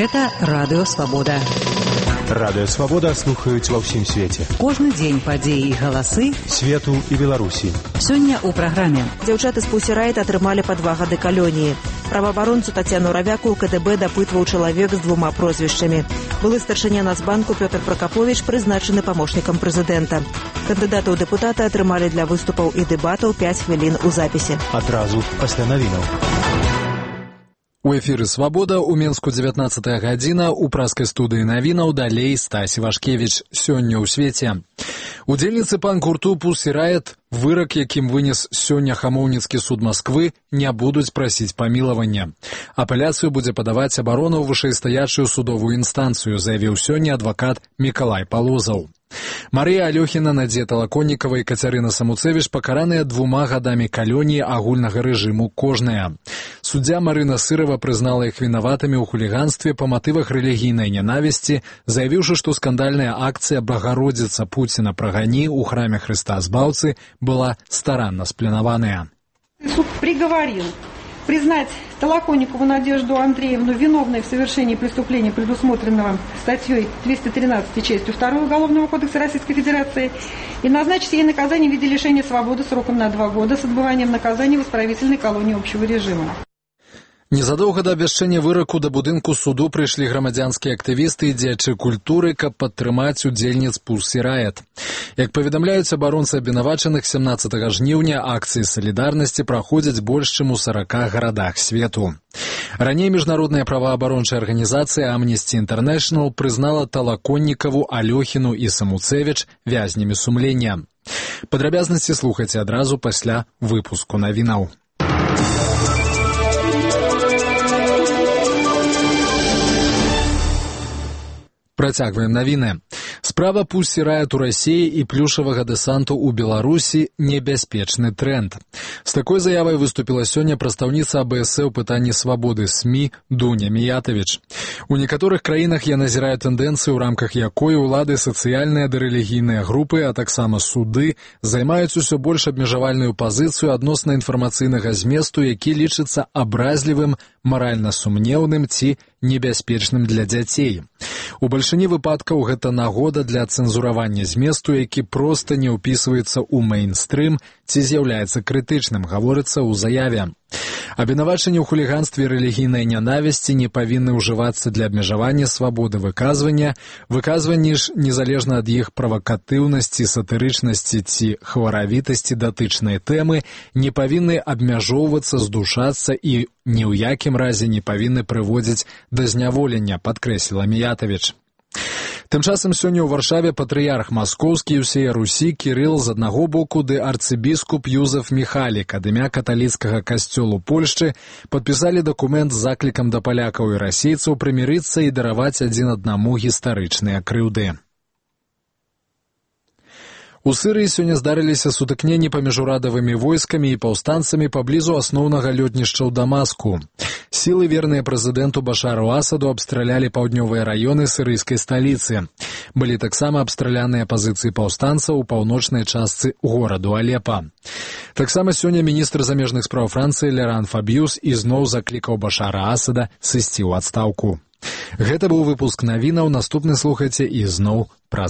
Гэта Радыё Свабода. Радыё Свабода слухаюць ва ўсім свеце. Кожны дзень падзеі і галасы свету і Беларусі. Сёння ў праграме. Дзяўчаты з Pussy Riot атрымалі па 2 гады калоніі. Праваабаронцу Тацяну Равяку ў КДБ дапытваў чалавек з 2 прозвішчамі. Былы старшыня Нацбанку Пётр Пракаповіч прызначаны памочнікам прэзідэнта. Кандыдаты ў дэпутаты атрымалі для выступаў і дэбатаў 5 хвілін у запісе. Адразу пасля навінаў. У эфіры «Свабода» у Менску 19 гадзіна, у праскай студыі навінаў далей Стась Івашкевіч. Сёння ў свеце. Удзельніцы панк-гурту Pussy Riot, вырак, якім вынес сёння Хамоўніцкі суд Масквы, не будуць прасіць памілавання. Апеляцыю будзе падаваць абарона ў вышэйстаячую судовую інстанцыю, заявіў сёння адвакат Мікалай Палозаў. Марыя Алёхіна, Надзея Талаконнікава і Кацярына Самуцевіч пакараныя 2 гадамі калоніі агульнага рэжыму кожная. Суддзя Марына Сырава прызнала іх вінаватымі ў хуліганстве па матывах рэлігійнай нянавісці, заявіўшы, што скандальная акцыя «Богородица Пуціна прагани» ў храме Хрыста Збаўцы была старанна спланаваная. Суд приговорил признать Толоконникову Надежду Андреевну виновной в совершении преступления, предусмотренного статьей 213 частью 2 Уголовного кодекса Российской Федерации, и назначить ей наказание в виде лишения свободы сроком на 2 года с отбыванием наказания в исправительной колонии общего режима. Незадоўга да абвяшчэння выраку да будынку суду прыйшлі грамадзянскія актывісты і дзеячы культуры, каб падтрымаць удзельніц Pussy Riot. Як паведамляюць абаронцы абвінавачаных, 17 жніўня акцыі салідарнасці праходзяць больш чым у 40 гарадах свету. Раней міжнародная праваабарончая арганізацыя Amnesty International прызнала Талаконнікаву, Алёхіну і Самуцевіч вязнямі сумлення. Падрабязнасці слухайце адразу пасля выпуску навінаў. Працягваем навіны. Справа Pussy Riot у Расіі і плюшавага дэсанту ў Беларусі – небяспечны тренд. З такой заявай выступіла сёння прадстаўніца АБС ў пытанні свабоды СМІ Дуня Міятавіч. У некаторых краінах я назіраю тэндэнцыю, у рамках якой улады, сацыяльныя ды рэлігійныя групы, а таксама суды займаюць усё больш абмежавальную пазіцыю адносна інфармацыйнага зместу, які лічыцца абразлівым, маральна сумнеўным ці небяспечным для дзяцей. У бальшыні выпадкаў гэта нагода для цэнзуравання зместу, які проста не ўпісваецца ў мэйнстрым ці з'яўляецца крытычным, гаворыцца ў заяве. Абвінавачанні ў хуліганстве і рэлігійнай нянавісці не павінны ўжывацца для абмежавання свабоды выказвання. Выказванні ж, незалежна ад іх правакатыўнасці, сатырычнасці ці хваравітасці датычнай тэмы, не павінны абмяжоўвацца, здушацца і ні ў якім разе не павінны прыводзіць да зняволення, падкрэсліла Міятавіч. Тым часам сёння ў Варшаве патрыярх маскоўскі і ўсея Русі Кірыл з аднаго боку ды арцыбіскуп Юзеф Міхалік ад імя каталіцкага касцёлу Польшчы падпісалі дакумент з заклікам да палякаў і расейцаў прымірыцца і дараваць адзін аднаму гістарычныя крыўды. У Сырыі сёння здарыліся сутыкненні паміж урадавымі войскамі і паўстанцамі паблізу асноўнага лётнішча ў Дамаску. Сілы, верныя прэзідэнту Башару Асаду, абстралялі паўднёвыя раёны сырыйскай сталіцы. Былі таксама абстраляныя пазіцыі паўстанцаў у паўночнай частцы гораду Алепа. Таксама сёння міністр замежных спраў Францыі Леран Фабіюс ізноў заклікаў Башара Асада сысці ў адстаўку. Гэта быў выпуск навінаў, наступны слухайце ізноў праз